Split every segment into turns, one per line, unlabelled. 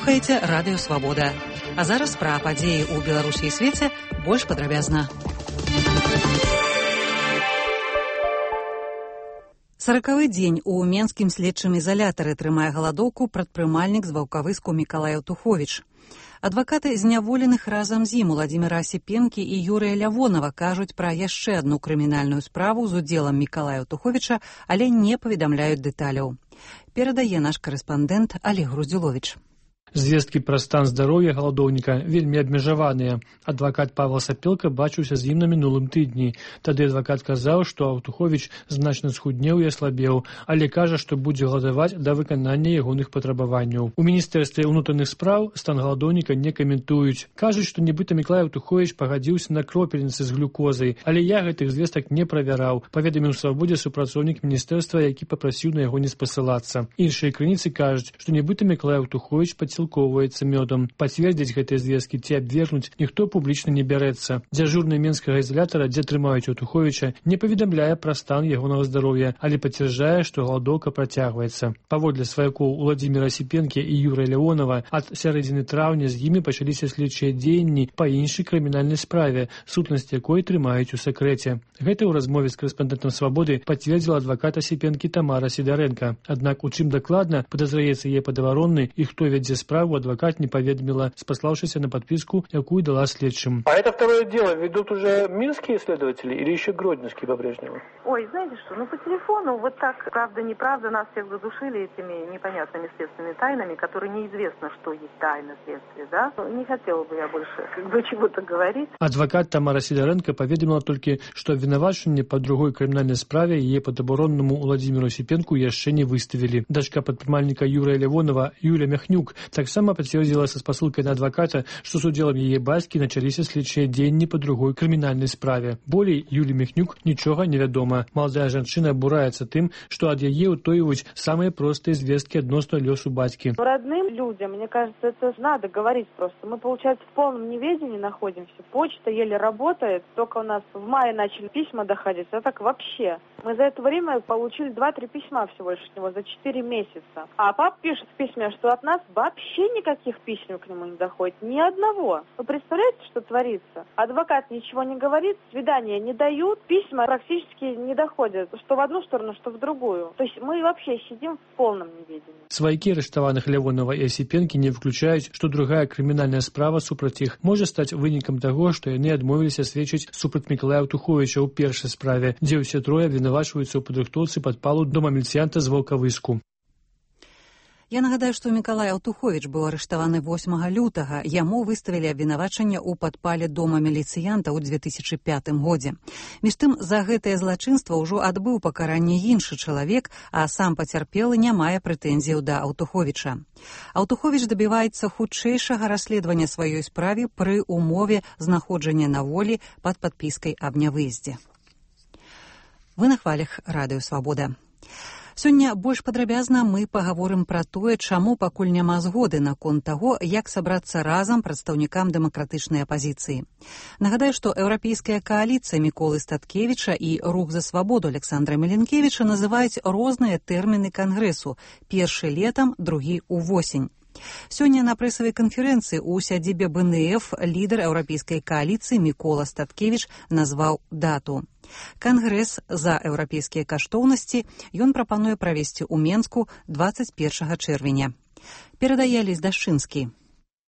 Слухаеце радыё «Свабода». А зараз пра падзеі ў Беларусі і свеце больш падрабязна. 40-й дзень у менскім следчым ізалятары трымае галадоўку прадпрымальнік з Ваўкавыску Мікалай Аўтуховіч. Адвакаты зняволеных разам з ім Уладзіміра Асіпенкі і Юрыя Лявонава кажуць пра яшчэ адну крымінальную справу з удзелам Мікалая Аўтуховіча, але не паведамляюць дэталяў. Перадае наш карэспандэнт Алег Груздзюловіч.
Звесткі пра стан здароўя галадоўніка вельмі абмежаваныя. Адвакат Павел Сапелка бачыўся з ім на мінулым тыдні. Тады адвакат казаў, што Аўтуховіч значна схуднеў і аслабеў, але кажа, што будзе галадаваць да выканання ягоных патрабаванняў. У міністэрстве ўнутраных спраў стан галадоўніка не каментуюць. Кажуць, што нібыта Мікалай Аўтуховіч пагадзіўся на кропельніцы з глюкозай, але я гэтых звестак не правяраў, паведаміў Свабодзе супрацоўнік міністэрства, які папрасіў на яго не спасылацца. Іншыя крыніцы кажуць, што нібыта Мікалай Аўтуховіч сілкоўваецца мёдам. Пацвердзіць гэтыя звесткі ці абвергнуць ніхто публічна не бярэцца. Дзяжурны менскага ізалятара, дзе трымаюць Аўтуховіча, не паведамляе пра стан ягонага здароўя, але пацвярджае, што галадоўка працягваецца. Паводле сваякоў Уладзіміра Асіпенкі і Юрыя Лявонава, ад сярэдзіны траўня з імі пачаліся следчыя дзеянні па іншай крымінальнай справе, сутнасць якой трымаюць у сакрэце. Гэта ў размове з карэспандэнтам Свабоды пацвердзіла адвакат Асіпенкі Тамара Сідарэнка. Аднак у чым дакладна падазраецца яе падаваронны і хто вядзе справу, адвокат не поведомила, спославшись на подписку, якую дала следчим.
А это второе дело ведут уже минские следователи или еще гродненские по-прежнему?
Ой, знаете что, по телефону вот так, правда-неправда, нас всех задушили этими непонятными следственными тайнами, которые неизвестно, что есть тайна следствия, да? Не хотела бы я больше чего-то говорить.
Адвокат Тамара Сидоренко поведомила только, что обвинувачение по другой криминальной справе ее подоборонному Владимиру Осипенку еще не выставили. Дочка подпрымальника Юрия Лявонова Юля Мяхнюк таксама пацвердзіла са спасылкай на адваката, што з удзелам яе бацькі началіся следчыя дзеянні па другой крымінальнай справе. Болей Юлі Мяхнюк нічога не вядома. Маладая жанчына абураецца тым, што ад яе ўтоююць самыя простыя звесткі адносна лёсу бацькі.
Родным людям, мне кажется, это надо говорить просто. Мы, получается, в полном неведении находимся. Почта еле работает. Только у нас в мае начали письма доходить. А так вообще. Мы за это время получили 2-3 письма всего лишь от него за 4 месяца. А папа пишет в письме, что от нас вообще никаких писем к нему не доходит. Ни одного. Вы представляете, что творится? Адвокат ничего не говорит, свидания не дают, письма практически не доходят. Что в одну сторону, что в другую. То есть мы вообще сидим в полном неведении.
Сваякі арыштаваных Лявонова і Асіпенкі не выключаюць, што другая крымінальная справа супраць іх можа стаць вынікам таго, што яны адмовіліся сведчыць супраць Мікалая Аўтуховіча ў першай справе, дзе ўсе трое абвінавачваюцца ў падрыхтоўцы падпалу дома міліцыянта з Ваўкавыску.
Я нагадаю, што Мікалай Аўтуховіч быў арыштаваны 8 лютага. Яму выставілі абвінавачанне ў падпале дома міліцыянта ў 2005 годзе. Між тым, за гэтае злачынства ўжо адбыў пакаранне іншы чалавек, а сам пацярпелы не мае прэтэнзіяў да Аўтуховіча. Аўтуховіч дабіваецца хутчэйшага расследавання сваёй справе пры умове знаходжання на волі пад падпіскай аб нявыездзе. Вы на хвалях радыё «Свабода». Сёння больш падрабязна мы пагаворым пра тое, чаму пакуль няма згоды наконт таго, як сабрацца разам прадстаўнікам дэмакратычнай апазіцыі. Нагадаю, што еўрапейская кааліцыя Міколы Статкевіча і рух за свабоду Александра Меленкевіча называюць розныя тэрміны кангрэсу. Першы летам, другі ўвосень. Сёння на прэсавай канферэнцыі ў сядзібе БНФ лідар еўрапейскай кааліцыі Мікола Статкевіч назваў дату. Кангрэс за еўрапейскія каштоўнасці ён прапануе правесці ў Менску 21 чэрвеня. Перадае Лесь Дашчынскі.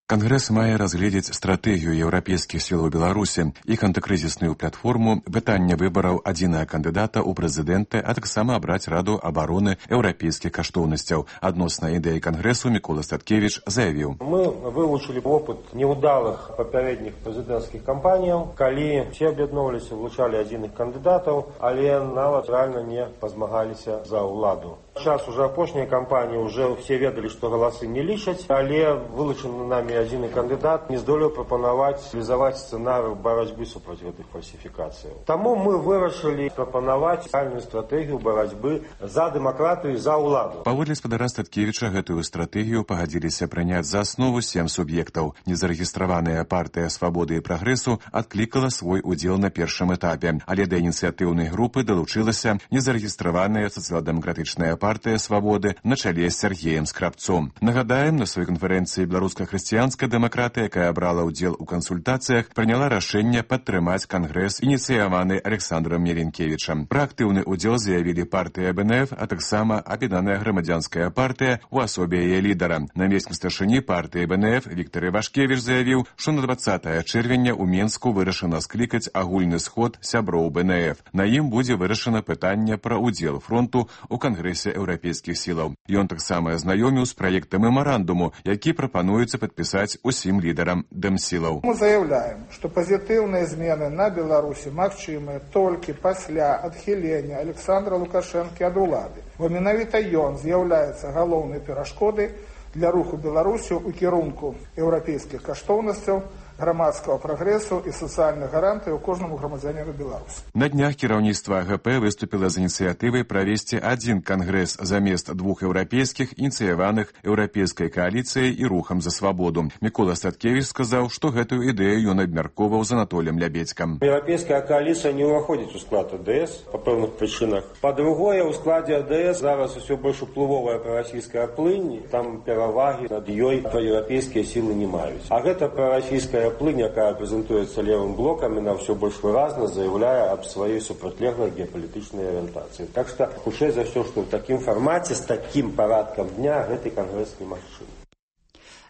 Кангрэс мае разгледзець стратэгію еўрапейскіх сіл у Беларусі, іх антыкрызісную платформу, пытанне выбараў адзінага кандыдата ў прэзідэнты, а таксама абраць раду абароны еўрапейскіх каштоўнасцяў. Адносна ідэі кангрэсу Мікола Статкевіч заявіў.
Мы вывучылі опыт неўдалых папярэдніх прэзідэнцкіх кампаніяў, калі все аб'ядноўваліся, вылучалі адзіных кандыдатаў, але нават рэальна не пазмагаліся за ўладу. Сейчас уже апошняя кампанія, уже все ведалі, што галасы не лічаць, але вылучаны нами адзіны кандыдат не здолеў прапанаваць реалізаваць сцэнарый барацьбы супраць гэтых фальсіфікацыяў. Таму мы вырашылі прапанаваць рэальную стратэгію барацьбы за дэмакратыю і за ўладу.
Паводле спадара Статкевіча гэтую стратэгію пагадзіліся прыняць за аснову 7 суб'ектаў. Незарэгістраваная партыя свабоды і прагрэсу адклікала свой удзел на першым этапе, але да ініцыятыўнай групы далучылася незарэгістраваная сацыял-дэмакратычная партія партыя свабоды на чале з Сергеем Скрабцом. Нагадаем, на сваёй канферэнцыі беларуска-хрысціянская дэмакратыя, якая брала ўдзел у кансультацыях, прыняла рашэнне падтрымаць кангрэс, ініцыяваны Александром Мелінкевічам. Пра актыўны ўдзел заявілі партыя БНФ, а таксама Аб'яднаная грамадзянская партыя у асобе яе лідара. Намеснік старшыні партыі БНФ Віктор Івашкевіч заявіў, што на 20 чэрвеня ў Менску вырашана склікаць агульны сход сяброў БНФ. На ім будзе вырашана пытанне пра ўдзел фронту ў Кангрэсе еўрапейскіх сілаў. Ён таксама азнаёміў з праектам мемарандуму, які прапануецца падпісаць усім лідарам дэмсілаў.
Мы заявляем, што пазітыўныя змены на Беларусі магчымыя толькі пасля адхілення Александра Лукашэнкі ад улады. Бо менавіта ён з'яўляецца галоўнай перашкодай для руху Беларусі ў кірунку еўрапейскіх каштоўнасцяў, грамадскага прагрэсу і сацыяльных гарантый у кожнаму грамадзяніну Беларусі.
На днях кіраўніцтва АГП выступіла з ініцыятывай правесці адзін кангрэс замест двух еўрапейскіх, ініцыяваных еўрапейскай кааліцыяй і рухам за свабоду. Мікола Статкевіч сказаў, што гэтую ідэю ён абмяркоўваў з Анатоліем Лябедзькам.
Еўрапейская кааліцыя не ўваходзіць у склад АДС па пэўных прычынах. Па-другое, у складзе АДС зараз усё больш уплывовая прарасійская плынь, там перавагі над ёй еўрапейскія сілы не маюць. А гэта прарасійская плынь, якая прэзентуецца левым блокам, яна ўсё больш выразна заяўляе аб сваёй супрацьлеглай геапалітычнай арыентацыі. Так што, хутчэй за ўсё, што ў такім фармаце, з такім парадкам дня гэты кангрэс немагчымы.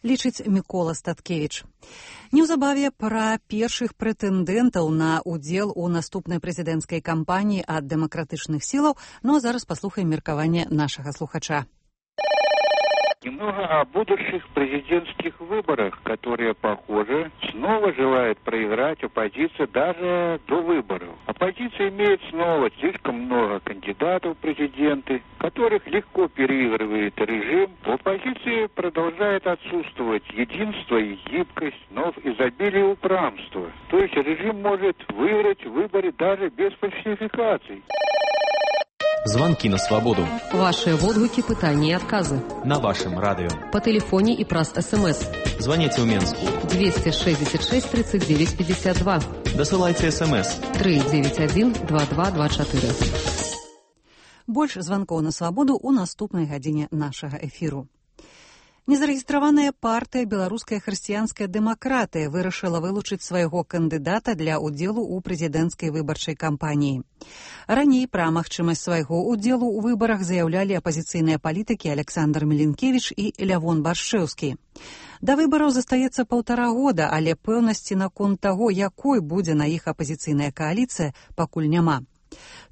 Лічыць Мікола Статкевіч. Неўзабаве пра першых прэтэндэнтаў на ўдзел у наступнай прэзідэнцкай кампаніі ад дэмакратычных сілаў, а зараз паслухаем меркаванне нашага слухача.
Немного о будущих президентских выборах, которые, похоже, снова желает проиграть оппозиция даже до выборов. Оппозиция имеет снова слишком много кандидатов в президенты, которых легко переигрывает режим. В оппозиции продолжает отсутствовать единство и гибкость, но в изобилии упрямства. То есть режим может выиграть выборы даже без фальсификаций.
Звонки на свободу.
Ваши водгуки, пытания и отказы.
На вашем радио.
По телефоне и праз СМС.
Звоните в Менску.
266 39 52.
Досылайте СМС.
391 2224.
Больш званкоў на свабоду ў наступнай гадзіне нашага эфіру. Незарэгістраваная партыя «Беларуская хрысціянская дэмакратыя» вырашыла вылучыць свайго кандыдата для ўдзелу ў прэзідэнцкай выбарчай кампаніі. Раней пра магчымасць свайго ўдзелу ў выбарах заяўлялі апазіцыйныя палітыкі Александр Мелінкевіч і Лявон Баршэўскі. Да выбараў застаецца 1,5 года, але пэўнасці наконт таго, якой будзе на іх апазіцыйная кааліцыя, пакуль няма.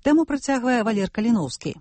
Тэму працягвае Валер Каліноўскі.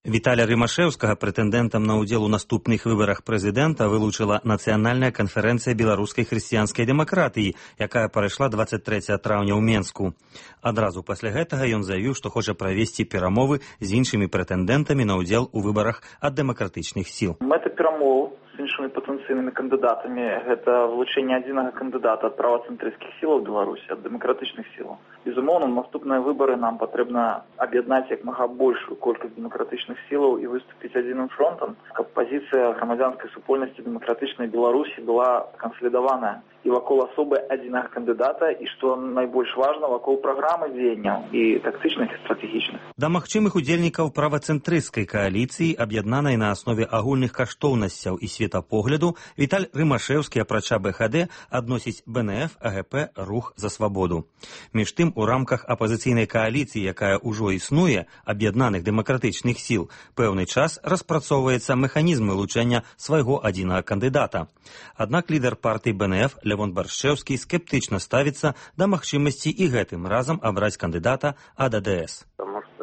Віталя Рымашэўскага прэтэндэнтам на ўдзел у наступных выбарах прэзідэнта вылучыла Нацыянальная канферэнцыя беларускай хрысціянскай дэмакратыі, якая прайшла 23 траўня ў Менску. Адразу пасля гэтага ён заявіў, што хоча правесці перамовы з іншымі прэтэндэнтамі на ўдзел у выбарах ад дэмакратычных сіл.
Мэта перамоў з іншымі патэнцыйнымі кандыдатамі гэта вылучэнне адзінага кандыдата ад правацэнтрысцкіх сілаў Беларусі, ад дэмакратычных сілаў. Безумоўна, наступныя выбары нам патрэбна аб'яднаць як мага большую колькасць дэмакратычных сілаў і выступіць адзіным фронтам, каб пазіцыя грамадзянскай супольнасці дэмакратычнай Беларусі была кансалідаваная і вакол асобы адзінага кандыдата, і, што найбольш важна, вакол праграмы дзеянняў і тактычных і стратэгічных.
Да магчымых удзельнікаў правацэнтрысцкай кааліцыі, аб'яднанай на аснове агульных каштоўнасцяў і светапогляду, Віталь Рымашэўскі, апрача БХД, адносіць БНФ, АГП, Рух за свабоду. Між тым, у рамках апазіцыйнай кааліцыі, якая ўжо існуе, аб'яднаных дэмакратычных сіл, пэўны час распрацоўваецца мэханізм вылучэння свайго адзінага кандыдата. Аднак лідар партыі БНФ Лявон Баршэўскі скептычна ставіцца да магчымасці і гэтым разам абраць кандыдата ад АДС.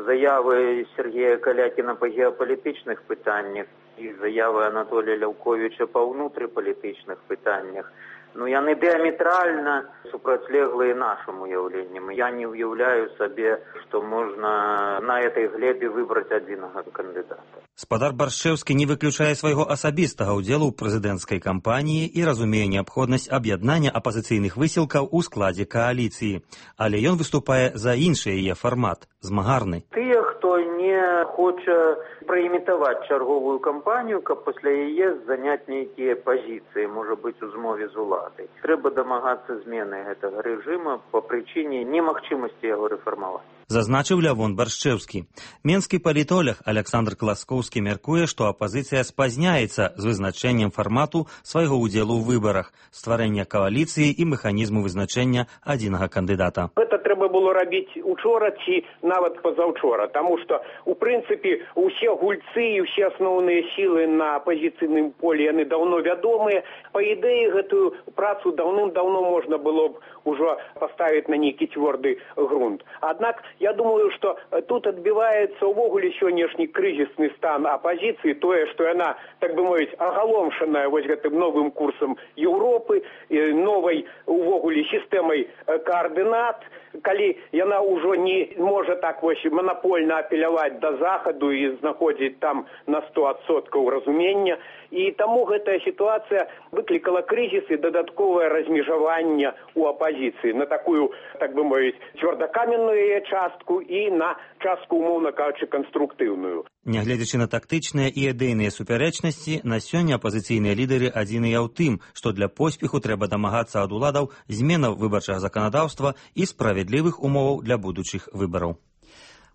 Заявы Сергея Калякіна па геапалітычных пытаннях і заявы Анатолія Ляўковіча па ўнутрыпалітычных пытаннях, яны дыаметральна супрацьлеглыя нашым уяўленням. Я не уяўляю сабе, што можна на этой глебе выбраць адзінага кандыдата.
Спадар Баршэўскі не выключае свайго асабістага ўдзелу ў прэзідэнцкай кампаніі і разумее неабходнасць аб'яднання апазіцыйных высілкаў у складзе кааліцыі. Але ён выступае за іншы яе фармат – змагарны.
Тыя, хто не хоча праімітаваць чарговую кампанію, каб пасля яе заняць нейкія пазіцыі, можа быць, у змове з уладай. Трэба дамагацца змены гэтага рэжыма па прычыне немагчымасці яго рэфармаваць.
Зазначыў Лявон Баршчэўскі. Менскі палітолог Александр Класкоўскі мяркуе, што апазіцыя спазняецца з вызначэннем фармату свайго ўдзелу ў выбарах, стварэння кааліцыі і механізму вызначэння адзінага кандыдата.
Гэта трэба было рабіць учора ці нават пазаўчора, таму што, у прынцыпе, усе гульцы і ўсе асноўныя сілы на апазіцыйным полі, яны даўно вядомыя. Па ідэі, гэтую працу даўным-даўно можна было б ужо паставіць на нейкі цвёрды грунт. Аднак, я думаю, што тут адбіваецца ўвогуле сённяшні крызісны стан апазіцыі, тое, што яна, так бы мовіць, агаломшаная вось гэтым новым курсам Еўропы, новай увогуле сістэмай каардынат, калі яна ўжо не можа так вось манапольна апеляваць да Захаду і знаходзіць там на 100% разумення. І таму гэтая сітуацыя выклікала крызіс і дадатковае размежаванне ў апазіцыі на такую, так бы мовіць, цвёрдакаменную частку і на частку, умоўна кажучы, канструктыўную.
Нягледзячы на тактычныя і ідэйныя супярэчнасці, на сёння апазіцыйныя лідары адзіныя ў тым, што для поспеху трэба дамагацца ад уладаў зменаў выбарчага заканадаўства і справядлівых умоваў для будучых выбараў.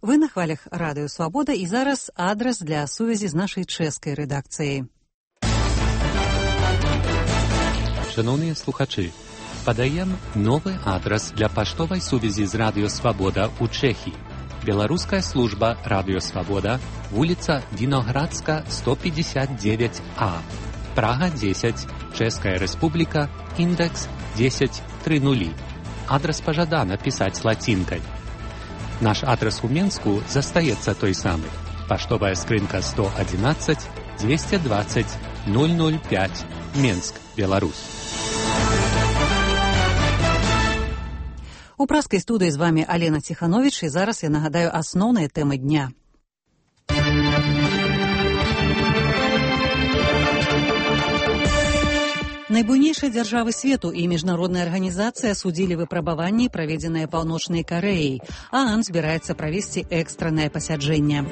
Вы на хвалях Радыё Свабода, і зараз адрас для сувязі з нашай чэшскай рэдакцыяй.
Шановні слухачі, подаем новый адрес для поштовой сувязі з Радіо Свобода у Чехії. Белорусская служба Радіо Свобода, вулиця Виноградска, 159А, Прага 10, Чешская Республика, индекс 1030. Адрес пожадано писать с латинкой. Наш адрес у Менску застаецца той самый. Поштовая скрынка 111 220 005, Менск, Беларусь.
У праскай студыі з вами Алена Ціхановіч, і зараз я нагадаю асноўныя тэмы дня. Найбуйнейшыя дзяржавы свету і міжнародная арганізацыя судзілі выпрабаванні, праведзеныя Паўночнай Карэяй, а ААН збіраецца правесці экстраннае пасяджэнне.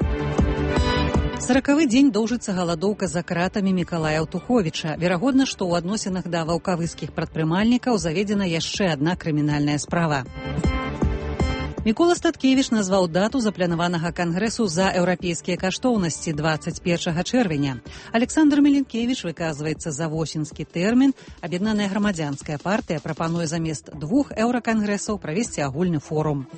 40-й дзень доўжыцца галадоўка за кратамі Мікалая Аўтуховіча. Верагодна, што ў адносінах да ваўкавыскіх прадпрымальнікаў заведзена яшчэ адна крымінальная справа. Мікола Статкевіч назваў дату запланаванага кангрэсу за еўрапейскія каштоўнасці 21 чэрвеня. Александр Меленкевіч выказваецца за восеньскі тэрмін. Аб'яднаная грамадзянская партыя прапануе замест 2 еўракангрэсаў правесці агульны форум.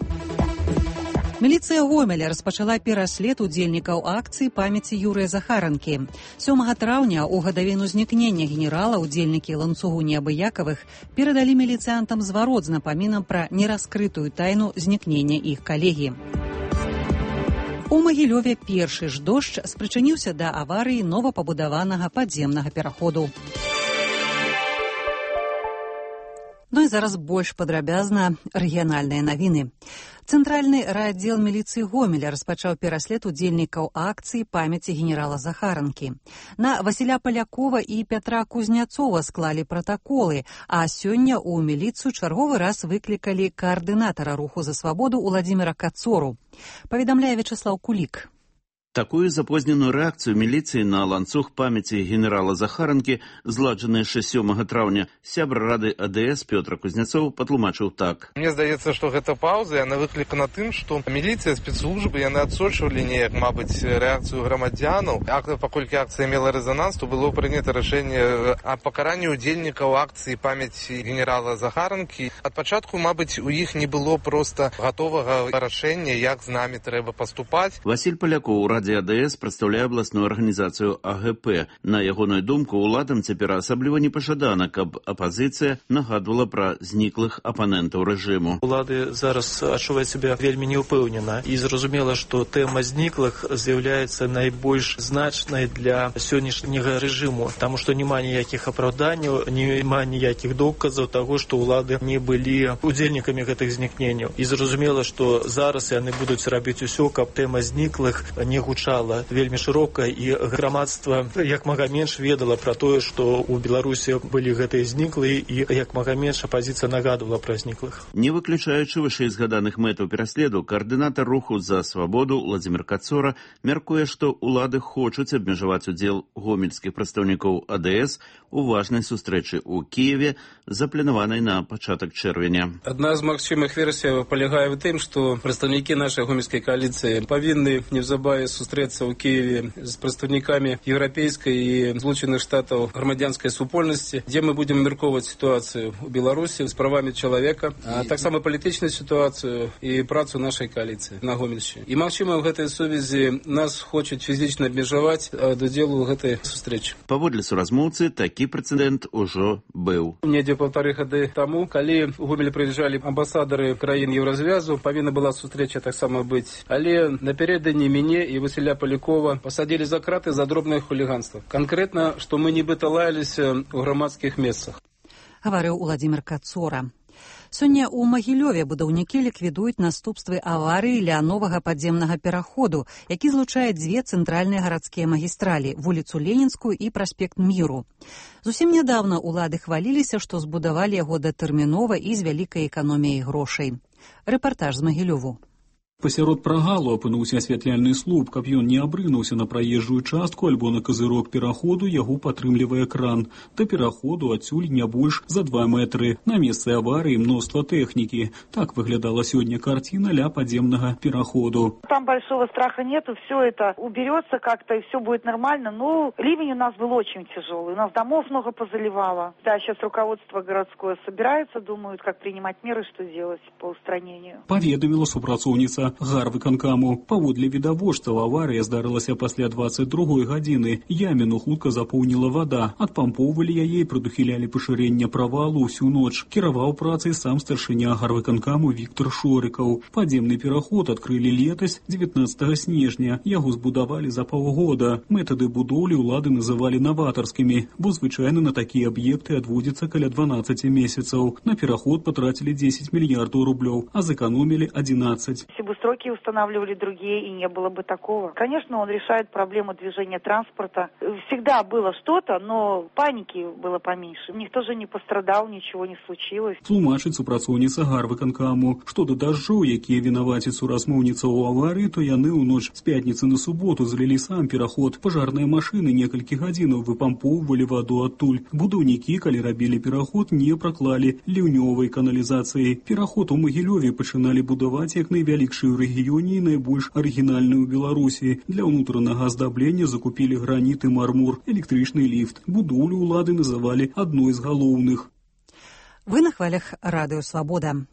Міліцыя Гомеля распачала пераслед удзельнікаў акцыі памяці Юрыя Захаранкі. 7 траўня у гадавіну знікнення генерала удзельнікі ланцугу неабыякавых перадалі міліцыянтам зварот з напамінам пра нераскрытую тайну знікнення іх калегі. У Магілёве першы ж дождж спрычыніўся да аварыі новапабудаванага падземнага пераходу. Ну і зараз больш падрабязна рэгіянальныя навіны. Цэнтральны райаддзел міліцыі Гомеля распачаў пераслед удзельнікаў акцыі памяці генерала Захаранкі. На Васіля Палякова і Пятра Кузняцова склалі пратаколы, а сёння ў міліцыю чарговы раз выклікалі каардынатара руху за свабоду Уладзіміра Кацору. Паведамляе Вячеслаў Кулік.
Такую запозненую рэакцыю міліцыі на ланцуг памяці генерала Захаранкі, зладжаны яшчэ 7 траўня, сябр рады АДС Пётр Кузняцоў патлумачыў так.
Мне здаецца, што гэта паўза, яна выклікана тым, што міліцыя, спецслужбы, яны адсочвалі неяк, мабыць, рэакцыю грамадзянаў. Паколькі акцыя мела рэзананс, то было прынята рашэнне аб пакаранні удзельнікаў акцыі памяці генерала Захаранкі. Ад пачатку, мабыць, у іх не было проста гатовага рашэння, як з намі трэба паступаць.
Васіль Палякоў, Раді АДС прадстаўляе абласную арганізацыю АГП. На ягоную думку, уладам цяпер асабліва непажадана, каб апазіцыя нагадвала пра зніклых апанентаў рэжыму.
Улады зараз адчуваюць сябе вельмі неўпэўнена і зразумела, што тэма зніклых з'яўляецца найбольш значнай для сённяшняга рэжыму, таму што няма ніякіх апраўданняў, няма ніякіх доказаў таго, што ўлады не былі удзельнікамі гэтых знікненняў. І зразумела, што зараз яны будуць рабіць усё, каб тэма зніклых не гучала вельмі шырока, і грамадства як мага менш ведала пра тое, што ў Беларусі былі гэтыя зніклыя, і як мага менш апазіцыя нагадывала пра зніклых.
Не выключаючы вышэйзгаданых мэтаў пераследу, каардынатар руху за свабоду Владзімір Кацора мяркуе, што ўлады хочуць абмежаваць удзел гомельскіх прадстаўнікоў АДС у важнай сустрэчы ў Киеве, запланаванай на пачатак чэрвеня.
Адна з магчымых версій палягае ў тым, што прадстаўнікі нашай гомельскай коаліцыі павінны неўзабаве сустрэцца ў Киеве з прадстаўнікамі еўрапейскай і Злучаных Штатаў грамадзянскай супольнасці, дзе мы будзем абмяркоўваць сітуацыю ў Беларусі з правамі чалавека, а таксама палітычную сітуацыю і працу нашай коаліцыі на Гомельшчыне. І магчыма, ў гэтай сувязі нас хочуць фізічна абмежаваць ад удзелу ў гэтай сустрэчы.
Паводле суразмоўцы, такі прэцэдэнт ужо быў.
Недзе 1,5 гады таму, калі ў Гомель прыязджалі амбасадары краін Еўразвязу, павінна была сустрэча таксама быць. Але напярэдадні мяне і Васіля Палякова пасадзілі за краты за дробнае хуліганства. Канкрэтна, што мы нібыта лаяліся ў грамадскіх месцах.
Гаварыў Владзімір Кацора. Сёння ў Магілёве будаўнікі ліквідуюць наступствы аварыі ля новага падземнага пераходу, які злучае дзве цэнтральныя гарадскія магістралі, вуліцу Ленінскую і праспект Міру. Зусім нядаўна ўлады хваліліся, што збудавалі яго датэрмінова і з вялікай эканоміяй грошай. Рэпартаж з Магілёву.
Пасярод прагалу апынуўся асвятляльны слуп, каб ён не абрынуўся на праезжую частку альбо на казырок пераходу, яго падтрымлівае кран. Да пераходу адсюль не больш за 2 метры. На месцы аварыі мноства тэхнікі. Так выглядала сегодня картина ля подземного пераходу.
Там большого страха нету, все это уберется как-то и все будет нормально. Но ливень у нас был очень тяжелый, у нас домов много позаливало. Да, сейчас руководство городское собирается, думают, как принимать меры, что делать по устранению.
Паведаміла супрацоўніца гарвыканкаму. Паводле відавочцаў, аварыя здарылася пасля 22 гадзіны. Яміну хутка запоўніла вада. Адпампоўвалі яе і прадухілялі пашырэнне правалу ўсю ноч. Кіраваў працай сам старшыня гарвыканкаму Віктор Шорыкаў. Падземны пераход адкрылі летась 19 снежня. Яго збудавалі за паўгода. Метады будоўлі ўлады называлі наватарскімі, бо звычайна на такія аб'екты адводзіцца каля 12 месяцаў. На пераход патрацілі 10 мільярдаў рублёў, а зэканомілі 11.
Сроки устанавливали другие, и не было бы такого. Конечно, он решает проблему движения транспорта. Всегда было что-то, но паники было поменьше. Никто же не пострадал, ничего не случилось.
Тлумачыць супрацоўніца гарвыканкаму. Што да дажджоў, якія вінаваціць суразмоўніца ў аварыі, то яны ў ноч з пятніцы на суботу залілі сам пераход. Пажарныя машыны некалькі гадзінаў выпампоўвалі ваду адтуль. Будаўнікі, калі рабілі пераход, не праклалі ліўнёвай каналізацыі. Пераход у Магілёве пачыналі будаваць як найвялікшы ў рэгіёне і найбольш арыгінальны ў Беларусі. Для ўнутранага аздаблення закупілі граніт і мармур, электрычны ліфт. Будоўлю ўлады называлі адной з галоўных.
Вы на хвалях Радыё Свабода.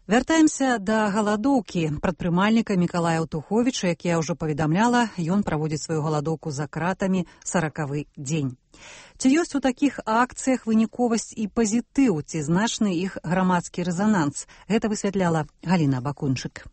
Вяртаемся да галадоўкі прадпрымальніка Мікалая Аўтуховіча, як я ўжо паведамляла, ён праводзіць сваю галадоўку за кратамі 40-й дзень. Ці ёсць у такіх акцыях выніковасць і пазітыў, ці значны іх грамадскі рэзананс? Гэта высвятляла Галіна Бакунчык.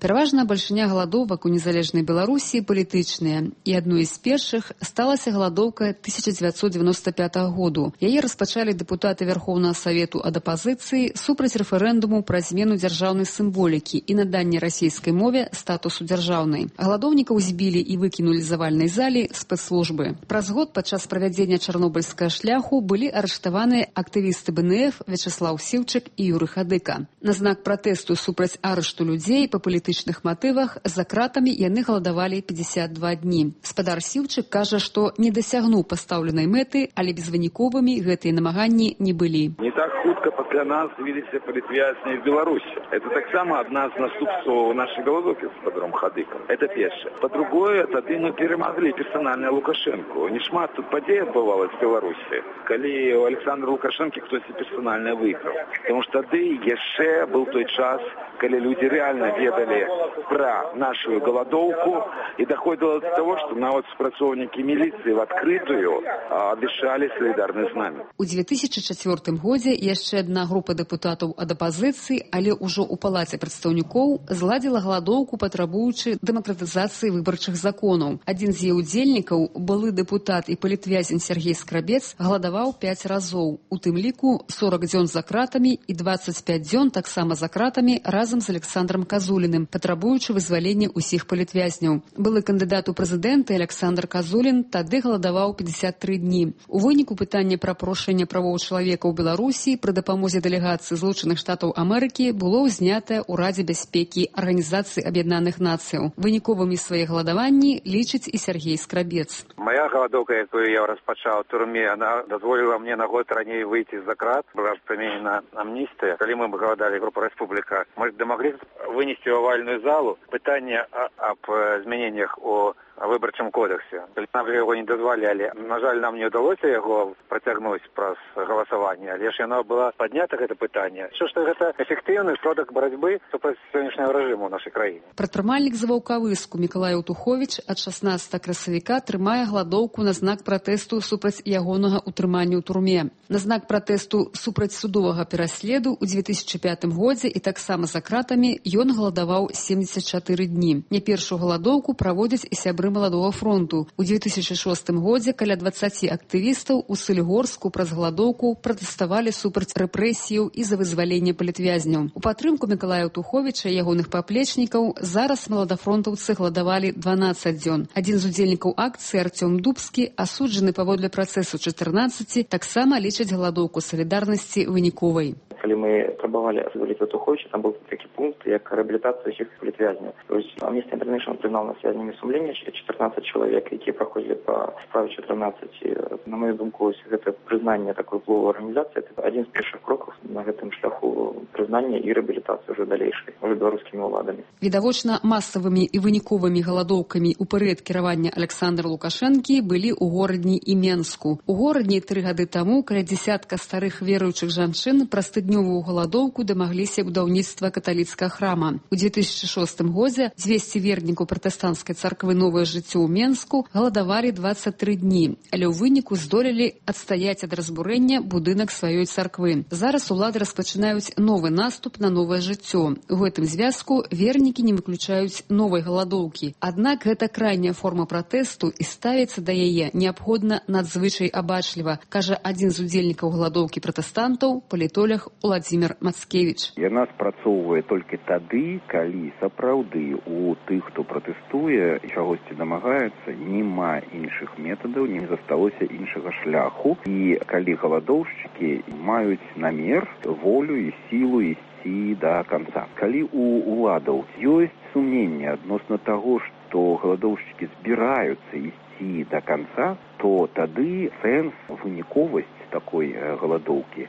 Пераважна бальшыня галадовак у незалежнай Беларусі палітычныя, і адной з першых сталася галадоўка 1995 году. Яе распачалі дэпутаты Верхоўнага Савету ад апазіцыі супраць рэферэндуму пра змену дзяржаўнай сімволікі і наданне расійскай мове статусу дзяржаўнай. Галадоўнікаў збілі і выкінулі з авальнай залі спецслужбы. Праз год падчас правядзення чарнобыльскага шляху былі арыштаваныя актывісты БНФ Вячеслав Сіўчык і Юры Хадыка. На знак пратэсту супраць арышту людзей па палітычных матывах за кратамі яны галадавалі 52 дні. Спадар Сіўчык кажа, што не дасягнуў пастаўленай мэты, але безвыніковымі гэтыя намаганні не былі.
Не так хутка пасля нас з'явіліся палітвязні в Беларусі. Это таксама адна з наступстваў нашай галадоўкі з спадаром Хадыкам. Это першае. Па-другое, тады мы перамаглі персанальна Лукашэнку. Нешмат тут падзей адбывалася в Беларусі, калі у Александра Лукашэнкі хтосьці персанальна выйграў. Таму што тады яшчэ быў той час, калі людзі рэальна ведалі пра нашу галадоўку, і даходзіла до того, што нават супрацоўнікі міліцыі в адкрытую абвяшчалі салідарнасць з намі.
У 2004 годзе яшчэ адна група дэпутатаў ад апазіцыі, але ўжо ў палаце прадстаўнікоў зладзіла галадоўку, патрабуючы дэмакратызацыі выбарчых законаў. Адзін з яе удзельнікаў, былы дэпутат і палітвязень Сергей Скрабец, галадаваў 5 разоў, у тым ліку 40 дзён за кратамі і 25 дзён таксама за кратамі разам з Александром Казуліным, патрабуючы вызвалення ўсіх палітвязняў. Былы кандыдат у прэзідэнты Александр Казулін тады галадаваў 53 дні. У выніку пытання пра парушэнне правоў чалавека ў Беларусі пры дапамозе дэлегацыі Злучаных Штатаў Амерыкі было ўзнятае ў Радзе бяспекі Арганізацыі Аб'яднаных Нацыяў. Выніковымі свае галадаванні лічыць і Сергей Скрабец.
Моя галадоўка, якую я распачаў у турме, она дазволіла мне на год раней выйти з-за крат. Была прыменена амністыя. Калі мы галадалі група Рэспубліка, мы дамаглі вынесці ў авальную залу пытанне аб змяненнях у выбарчым кодексе. Нам яго не дазвалялі. На жаль, нам не ўдалося яго працягнуць праз галасаванне, але ж яно было паднята, гэта пытанне. Што гэта эфектыўны сродак барацьбы супраць сённяшняга рэжыму ў нашай краіне.
Прадпрымальнік з Ваўкавыску Мікалай Аўтуховіч ад 16 красавіка трымае галадоўку на знак пратэсту супраць ягонага ўтрымання ў турме. На знак пратэсту супраць судовага пераследу ў 2005 годзе і таксама за кратамі ён галадаваў 74 дні. Не першую галадоўку праводзяць і сябры Маладога фронту. У 2006 годзе каля 20 актывістаў у Салігорску праз галадоўку пратэставалі супраць рэпрэсіяў і за вызваленне палітвязняў. У падтрымку Мікалая Аўтуховіча і ягоных паплечнікаў зараз маладафронтаўцы галадавалі 12 дзён. Адзін з удзельнікаў акцыі Артём Дубскі, асуджаны паводле працэсу 14, таксама лічыць галадоўку салідарнасці выніковай.
Калі мы прабавалі зваліць Аўтуховіча, там быў такі пункт, як рэабілітацыя ўсіх палітвязняў. Amnesty International признал нас связанными сумлення 14 чалавек, якія праходзілі па справе 14. На мою думку, гэта прызнанне такой уплыву арганізацыі, это адзін з першых крокаў на гэтым шляху прызнання і рэабілітацыі ўжо далейшай, уже беларускімі ўладамі.
Відавочна, масавымі і выніковымі галадоўкамі ў перыяд кіравання Александра Лукашэнкі былі ў горадні і Менску. У горадні 3 гады таму каля дзясятка старых веруючых жанчын праз тыднёвую галадоўку дамагліся будаўніцтва каталіцкага храма. У 2006 годзе 200 вернікаў пратэстанцкай царквы «Новае жыццё» ў Менску галадавалі 23 дні, але ў выніку здолелі адстаяць ад разбурэння будынак сваёй царквы. Зараз улады распачынаюць новы наступ на новае жыццё. У гэтым звязку вернікі не выключаюць новай галадоўкі. Аднак гэта крайняя форма пратэсту і ставіцца да яе неабходна надзвычай абачліва, кажа адзін з удзельнікаў галадоўкі пратэстантаў, палітолог Уладзімір Мацкевіч.
Яна спрацоўвае толькі тады, калі сапраўды у тых, хто пратэстуе і чагосьці дамагаецца, няма іншых метадаў, не засталося іншага шляху. І калі галадоўшчыкі маюць намер, волю і сілу ісці да канца. Калі у уладаў ёсць сумненне адносна таго, што галадоўшчыкі збіраюцца ісці да канца, то тады сэнс, выніковасць такой галадоўкі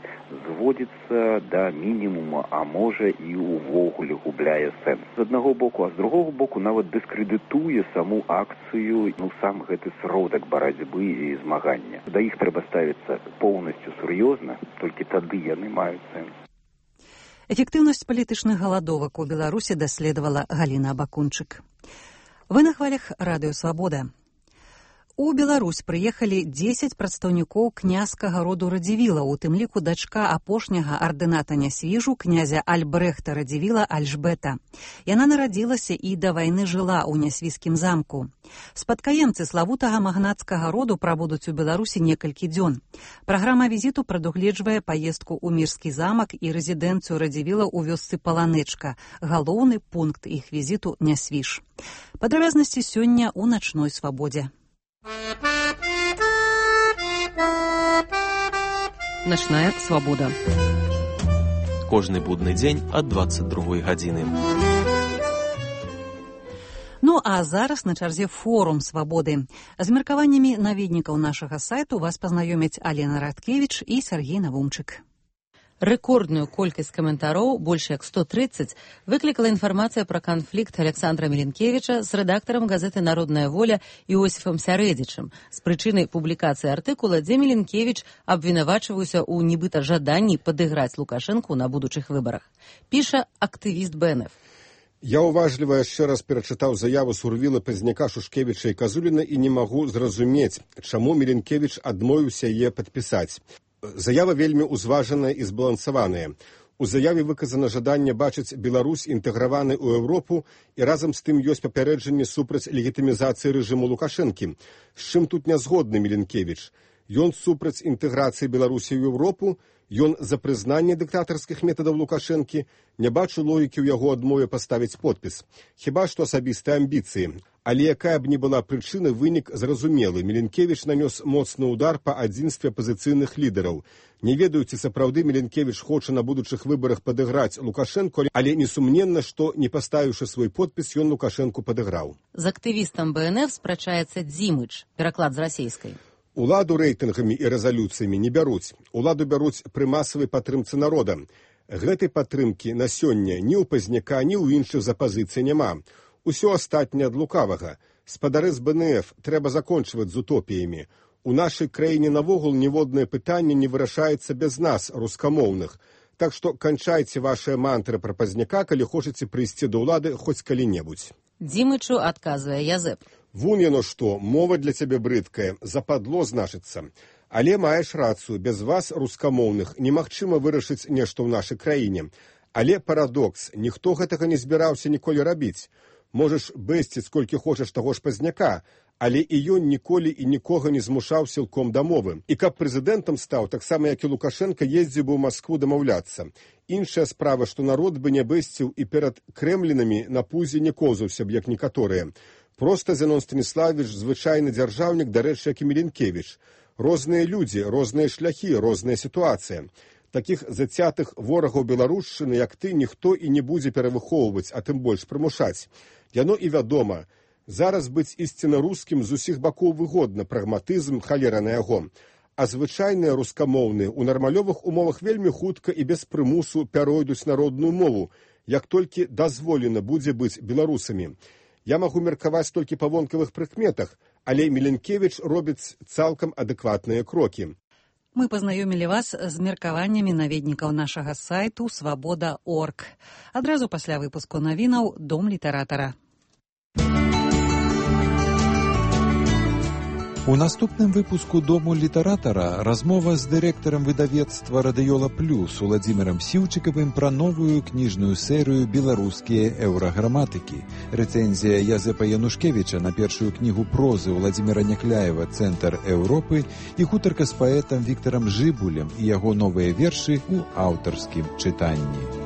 зводзіцца да мінімума, а можа і ўвогуле губляе сэнс. З аднаго боку, а з другого боку нават дыскрэдытуе саму акцыю, сам гэты сродак барацьбы і змагання. Да іх трэба ставіцца поўнасцю сур'ёзна, толькі тады яны маюць сэнс.
Эфектыўнасць палітычных галадовак у Беларусі даследавала Галіна Абакунчык. Вы на хвалях Радыё Свабода. У Беларусь прыехалі 10 прадстаўнікоў князькага роду Радзівіла, у тым ліку дачка апошняга ардыната Нясвіжу, князя Альбрэхта Радзівіла Альжбета. Яна нарадзілася і да вайны жыла ў Нясвіжскім замку. Спадкаемцы славутага магнацкага роду прабудуць у Беларусі некалькі дзён. Праграма візіту прадугледжвае паездку ў Мірскі замак і рэзідэнцыю Радзівіла ў вёсцы Паланэчка. Галоўны пункт іх візіту Нясвіж. Падрабязнасці сёння ў начной свабодзе.
Начная свабода.
Кожны будны дзень ад 22 гадзіны.
Ну а зараз на чарзе форум свабоды. З меркаваннямі наведнікаў нашага сайту вас пазнаёмяць Алена Радкевіч і Сергей Навумчык.
Рэкордную колькасць каментароў, больш як 130, выклікала інфармацыя пра канфлікт Александра Міленкевіча з рэдактарам газеты «Народная воля» Іосіфам Сярэдзічым з прычынай публікацыі артыкула, дзе Міленкевіч абвінавачваўся ў нібыта жаданні падыграць Лукашэнку на будучых выбарах. Піша актывіст БНФ.
Я уважліва яшчэ раз перачытаў заяву Сурвіла, Пазняка, Шушкевіча і Казуліна і не магу зразумець, чаму Міленкевіч адмовіўся яе падпісаць. Заява вельмі ўзважаная і збалансаваная. У заяве выказана жаданне бачыць Беларусь інтэграванай у Еўропу, і разам з тым ёсць папярэджанне супраць легітымізацыі рэжыму Лукашэнкі. З чым тут нязгодны Міленкевіч? Ён супраць інтэграцыі Беларусі ў Еўропу, ён за прызнанне дыктатарскіх метадаў Лукашэнкі, не бачу логікі ў яго адмове паставіць подпіс. Хіба што асабістыя амбіцыі. Але якая б ні была прычына, вынік зразумелы. Міленкевіч нанёс моцны удар па адзінстве апазіцыйных лідараў. Не ведаю, ці сапраўды Міленкевіч хоча на будучых выбарах падыграць Лукашэнку, але несумненна, што, не паставіўшы свой подпіс, ён Лукашэнку падыграў.
З актывістам БНФ спрачаецца Дзімыч, пераклад з расейскай.
Уладу рэйтынгамі і рэзалюцыямі не бяруць. Уладу бяруць пры масавай падтрымцы народа. Гэтай падтрымкі на сёння ні ў Пазняка, ні ў іншых з апазіцыі няма. Усё астатняе ад лукавага. Спадары з БНФ трэба закончваць з утопіямі. У нашай краіне навогул ніводнае пытанне не вырашаецца без нас, рускамоўных. Так што канчайце вашыя мантры пра Пазняка, калі хочаце прыйсці да ўлады хоць калі-небудзь.
Дзімычу адказвае Язэп.
Вунь яно што, мова для цябе брыдкая, западло значыцца. Але маеш рацыю, без вас, рускамоўных, немагчыма вырашыць нешта ў нашай краіне. Але парадокс, ніхто гэтага не збіраўся ніколі рабіць. Можаш бэсціць колькі хочаш таго ж Пазняка, але і ён ніколі і нікога не змушаў сілком дамовы. І каб прэзідэнтам стаў, таксама як і Лукашэнка, ездзіў бы ў Маскву дамаўляцца. Іншая справа, што народ бы не бэсціў і перад крэмлінамі на пузе не коўзаўся б, як некаторыя. Проста Зенон Станіславович звычайны дзяржаўнік, дарэчы, як і Міленкевіч. Розныя людзі, розныя шляхі, розная сітуацыя. Такіх зацятых ворагаў беларушчыны, як ты, ніхто і не будзе перавыхоўваць, а тым больш прымушаць. Яно і вядома. Зараз быць ісціна рускім з усіх бакоў выгодна, прагматызм, халера на яго. А звычайныя рускамоўныя ў нармалёвых умовах вельмі хутка і без прымусу пяройдуць народную мову, як толькі дазволена будзе быць беларусамі. Я магу меркаваць толькі па вонкавых прыкметах, але Міленкевіч робіць цалкам адэкватныя крокі.
Мы пазнаёмілі вас з меркаваннямі наведнікаў нашага сайту «Свабода.орг». Адразу пасля выпуску навінаў «Дом літаратара».
У наступным выпуску «Дому літаратара» размова з дырэктарам выдавецтва «Радыёла Плюс» Уладзімірам Сіўчыкавым пра новую кніжную серыю «Беларускія еўраграматыкі». Рэцэнзія Язэпа Янушкевіча на першую кнігу прозы Уладзіміра Някляева «Цэнтр Еўропы» і гутарка з паэтам Віктарам Жыбулем і яго новыя вершы ў аўтарскім чытанні.